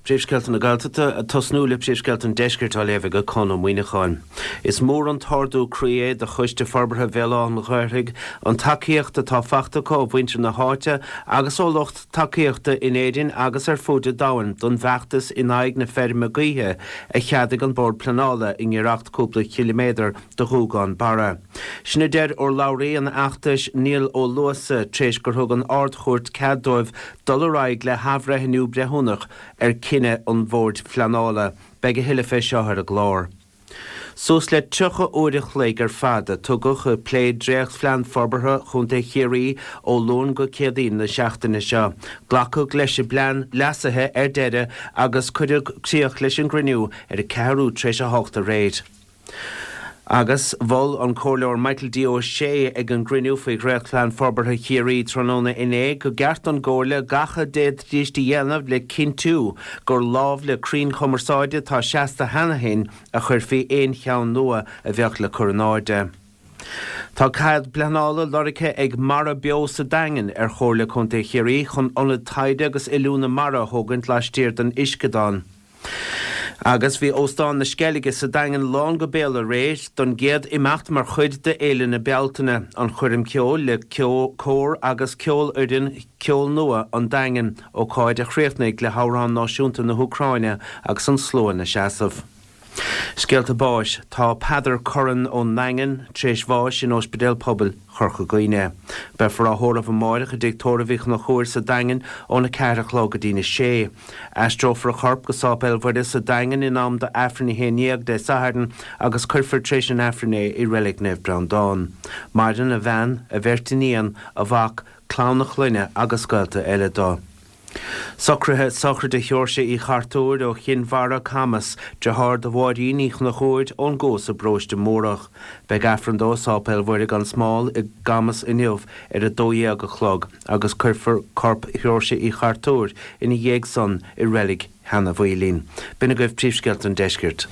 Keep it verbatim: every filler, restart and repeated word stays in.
Príomhscéalta na Gaeltachta ag tosnú le Príomhscéalta an Deiscirt á léamh ag Conn Ó Muíneacháin. Is mór an t-ardú croí é do Choiste Forbartha Bhéal Átha an Ghaorthaidh an tacaíocht atá faighte acu ó mhuintir na háite agus ó lucht tacaíochta in Éirinn agus ar fud an domhain don bhfeachtas in aghaidh na feirme gaoithe a cheadaigh an Bord Pleanála i ngiorracht cúpla ciliméadar do Ghuagán Barra. Sin a deir urlabhraí an fheachtais Niall Ó Luasa tar éis gur thug an Ard-Chúirt cead dóibh dul ar aghaidh le hathbhreithniú breithiúnach ar chinneadh an Bhoird Phleanála. Beidh a thuilleadh fé seo ar an gclár. Suas le tríocha uair a chloig ar fad a tugadh ag plé dréachtphlean forbartha Chontae Chiarraí ó Luan go Céadaoin na seachtaine seo. Glacadh leis an bplean leasaithe ar deireadh agus cuireadh críoch leis an gcruinniú ar a ceathrú tar éis a hocht aréir. Agus mhol an Comhairleoir Michael D. Ó Sé ag an gcruinniú faoi Dhréachtphlean Forbartha Chiarraí tráthnóna inné go gceart don gComhairle gach a d'fhéadfaidís a dhéanamh le cinntiú gur lámh le crainn chumarsáide atá seasta cheana féin a chuirfí aon cheann nua a bheadh le cur in airde. Tá cead pleanála lorgtha ag Mara Beo sa Daingean ar Chomhairle Contae Chiarraí chun ionad taighde agus oiliúna mara a thógaint laistiar den uisceadán. Agus bhí Óstán na Sceilge sa Daingean lán go béal aréir don gcéad imeacht mar chuid de Fhéile na Bealtaine, an choirm ceoil le cór agus ceolfhoireann Ceol Nua an Daingin, ócáid a chríochnaigh le hamhrán náisiúnta na hÚcráine agus an slua ina seasamh. Scéalta báis, Tá Peadar Curran ón nDaingean tar éis bháis in Ospidéal Pobail Chorca Dhuibhne. Beifear á thórramh amáireach i dTigh Tórraimh Uí Chonchúir sa Daingean óna ceathair a chlog go dtína sé. Aistreofar a chorp go Sáipéal Mhuire sa Daingean in am do Aifreann a haon dhéag Dé Sathairn agus cuirfear tar éis an Aifrinn é i Reilig Naomh Breandán. Maireann a bhean, a bheirt iníon, a mhac, clann a chlainne agus gaolta eile dó. Socruithe sochraide Sheoirse Uí Chartúir ó Chinn Mhara, Camas, deartháir do Mháirín Uí Chonchúir ón gCuas i bParóiste Mórdhach. Beidh Aifreann dó i Sáipéal Mhuire gan Smál i gCamas inniu ar a dó dhéag a chlog agus cuirfear corp Sheoirse Uí Chartúir ina dhiaidh san i reilig Sheanadh Mhaoilín. B'in agaibh príomhscéalta an deiscirt.